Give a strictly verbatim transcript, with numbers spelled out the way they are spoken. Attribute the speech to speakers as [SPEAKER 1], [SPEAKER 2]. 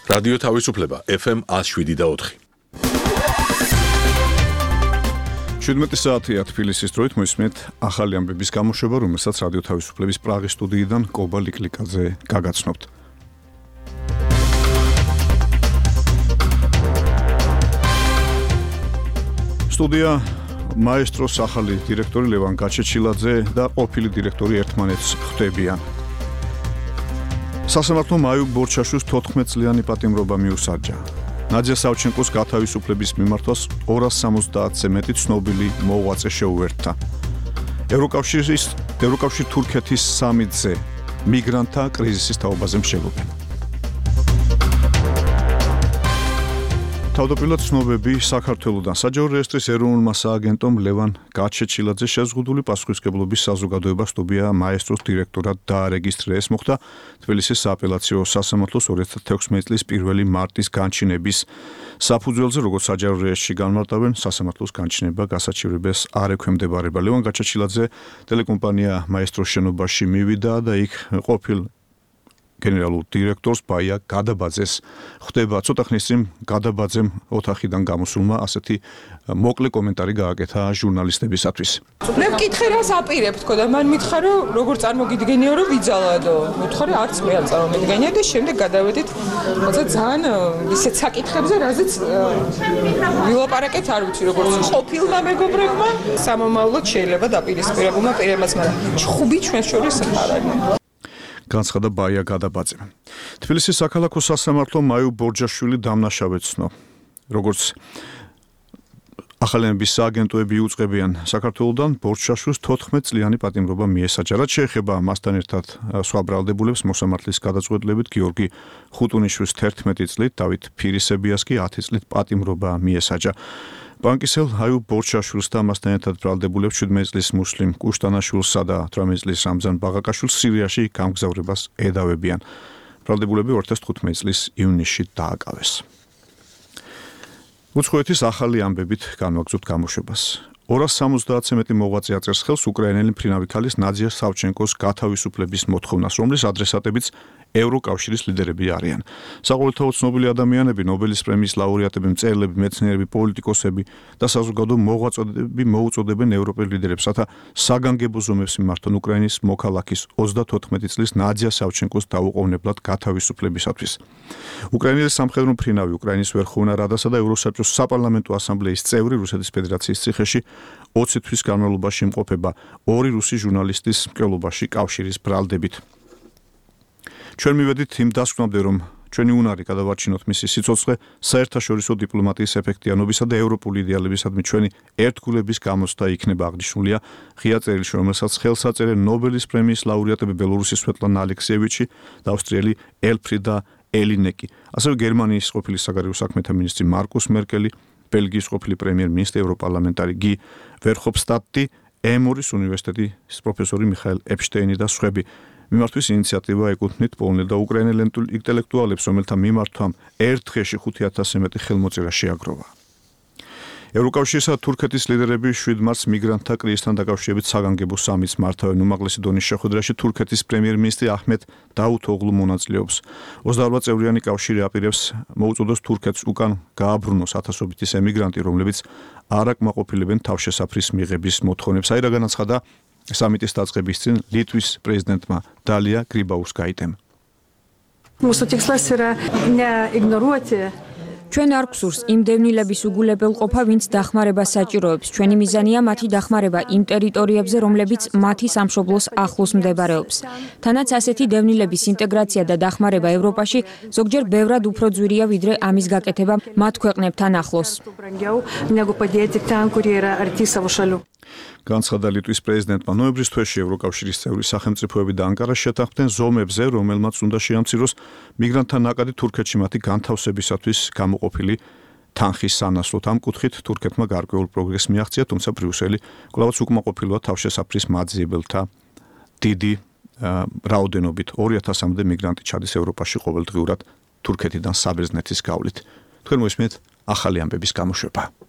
[SPEAKER 1] რადიო თავისუფლება ეფ ემ one oh seven და four.
[SPEAKER 2] შვიდმეტი საათია თბილისის დროით მოისმენთ ახალი ამბების გამოშვება, რომელსაც რადიო თავისუფლების პრაღის სტუდიიდან კობა ლიკლიკაძე გაგაცნობთ. სტუდია მაესტროს ახალი დირექტორი ლევან გაჩეჩილაძე და ყოფილი დირექტორი ერთმანეთს ხვდებიან. სასამართლო მაიუ ბორჩაშვილს თოთხმეტ წლიანი პატიმრობა მიუსაჯა. ნადია სავჩენკოს გათავისუფლების მიმართვას ორას სამოცდაათზე მეტი ცნობილი მოღვაწე შეუერთდა. ევროკავშირის ევროკავშირ თურქეთის სამიტზე მიგრანტთა კრიზისის თაობაზე მსჯელობენ. თავდაპირველად ცნობები საქართველოდან საჯარო რეესტრის ეროვნულმა სააგენტომ ლევან გაჩეჩილაძე შეზღუდული პასუხისმგებლობის საზოგადოება სტუდია მაესტროს დირექტორად დაარეგისტრეს. მოხდა თბილისის სააპელაციო სასამართლოს ორი ათი თექვსმეტი წლის პირველი მარტის განჩინების საფუძველზე, როგორც საჯარო რეესტრში განმარტავენ, სასამართლოს განჩინება გასაჩივრებას არ ექვემდებარება. ლევან გაჩეჩილაძე ტელეკომპანია მაესტროს შენობაში მივიდა და იქ ყოფილ გენერალურ დირექტორს ბაია გადაბაძეს ხვდება. ცოტა ხნის წინ გადაბაძემ ოთახიდან გამოსულმა ასეთი მოკლე კომენტარი გააკეთა ჟურნალისტებისათვის.
[SPEAKER 3] მე მკითხე რას აპირებ თქო და მან მითხრა რომ როგორ წარმოგიდგენიო რომ ვიძალადო. მითხრა არც მე არ წარმომიდგენია და შემდეგ გადავედით მოცა ძალიან ისეთ საკითხებზე რაზეც ვილაპარაკეთ არ ვიცი როგორც ყოფილმა მეგობრებმა სამომავლოდ შეიძლება დაპირისპირებულმა პირებმაც, მაგრამ ჩხუბი ჩვენს შორის არ არის.
[SPEAKER 2] განცხადა ბაია გადაბაძე. თბილისის საქალაქო სასამართლო მაიუ ბორჯაშვილი დამნაშავეცნო. როგორც ახალენების სააგენტოები იუწყებიან საქართველოდან ბორჯაშვილს თოთხმეტ წლიანი პატიმრობა მიესაჯა. რაც შეეხება მასთან ერთად სხვა ბრალდებულებს, მოსამართლის გადაწყვეტილებით გიორგი ხუტუნიშვილს თერთმეტი წლით, დავით ფირისებიას კი ათი წლით პატიმრობა მიესაჯა. ბანკისელ აიუ ბორჩაშვილს და მასთან ერთად ბრალდებულებს შვიდმეტი წლის მუსლიმ კუშტანაშვილსა და ათორმეტი წლის რამზან ბაღაკაშვილს სირიაში გამგზავრებას ედავებიან. ბრალდებულები ორი ათი თხუთმეტი წლის ივნისში დააკავეს. უცხოეთის ახალი ამბებით განვაგრძობთ გამოშვებას. ორას სამოცდაათზე მეტი მოღვაწე აწერს ხელს უკრაინელი მფრინავი ქალის ნადია სავჩენკოს გათავისუფლების მოთხოვნას, რომლის ადრესატებიც ევროკავშირის ლიდერები არიან. საყოველთაოდ ცნობილი ადამიანები, ნობელის პრემიის ლაურეატები, მწერლები, მეცნიერები, პოლიტიკოსები და საზოგადო მოღვაწეები მოუწოდებენ ევროპელ ლიდერებს, რათა საგანგებო ზომებს მიმართონ უკრაინის მოქალაქის ოცდათოთხმეტი წლის ნადია სავჩენკოს დაუყოვნებლად გათავისუფლებისათვის. უკრაინელი სამხედრო მფრინავი, უკრაინის ვერხოვნა რადასა და ევროსაბჭოს საპარლამენტო ასამბლეის წევრი რუსეთის ფედერაციის ციხეში ოცი თვის განმავლობაში იმყოფება ორი რუსი ჟურნალისტის მკვლელობაში კავშირის ბრალდებით. ჩვენ მივედით იმ დასკვნამდე, რომ ჩვენი უნარი გადავარჩინოთ მისი სიცოცხლე საერთაშორისო დიპლომატიის ეფექტიანობისა და ევროპული იდეალებისადმი ჩვენი ერთგულების გამოცდა იქნება აღნიშნულია ღია წერილში, რომელსაც ხელს აწერენ ნობელის პრემიის ლაურეატები ბელორუსის სვეტლანა ალექსიევიჩი და ავსტრიელი ელფრიდა ელინეკი, ასევე გერმანიის ყოფილი საგარეო საქმეთა მინისტრი მარკუს მერკელი, ბელგიის ყოფილი პრემიერ-მინისტრი ევროპარლამენტარი გი ვერჰოფსტადტი, ემორის უნივერსიტეტის პროფესორი მიხაელ ეპშტეინი და სხვები. მიმართვის ინიციატივა ეკუთვნით პოლონელ და უკრაინელ ინტელექტუალებს, რომელთა მიმართვამ ერთ დღეში ხუთი ათასზე მეტი ხელმოწერა შეაგროვა. ევროკავშირისა და თურქეთის ლიდერები შვიდ მარტს მიგრანტთა კრიზისთან დაკავშირებით საგანგებო სამიტს მართავენ. უმაღლესი დონის შეხვედრაში თურქეთის პრემიერ-მინისტრი აჰმედ დაუთოღლუ მონაწილეობს. ოცდაორ წევრიანი კავშირი აპირებს მოუწოდოს თურქეთს უკან გააბრუნოს ათასობით ის ემიგრანტი, რომლებიც არ აკმაყოფილებენ თავშესაფრის მიღების მოთხოვნებს. აი რა განაცხადა სამიტის დაწყების წინ ლიტვის პრეზიდენტმა დალია გრიბაუსკაიტემ.
[SPEAKER 4] ჩვენ არ გვსურს იმ დევნილების უგულებელყოფა, ვინც დახმარებას საჭიროებს. ჩვენი მიზანია მათი დახმარება იმ ტერიტორიებზე, რომლებიც მათი სამშობლოს ახლოს მდებარეობს. თანაც ასეთი დევნილების ინტეგრაცია და დახმარება ევროპაში ზოგჯერ ბევრად უფრო ძვირია, ვიდრე ამის გაკეთება მათ ქვეყნებთან ახლოს.
[SPEAKER 2] განცხადა ლიტვის პრეზიდენტმა. ნოემბრის თვეში ევროკავშირის წევრი სახელმწიფოები და ანკარა შეთანხმდნენ ზომებზე, რომელმაც უნდა შეამციროს მიგრანტთა ნაკადი თურქეთში მათი განთავსებისათვის გამოყოფილი თანხის სანაცვლოდ. ამ კუთხით თურქეთმა გარკვეულ პროგრესს მიაღწია, თუმცა ბრიუსელი კვლავაც უკმაყოფილოა თავშესაფრის მაძიებელთა დიდი რაოდენობით. ორი ათასამდე მიგრანტი ჩადის ევროპაში ყოველდღიურად თურქეთიდან საბერძნეთის გავლით. თქვენ მოისმენთ ახალი ამბების გამოშვება.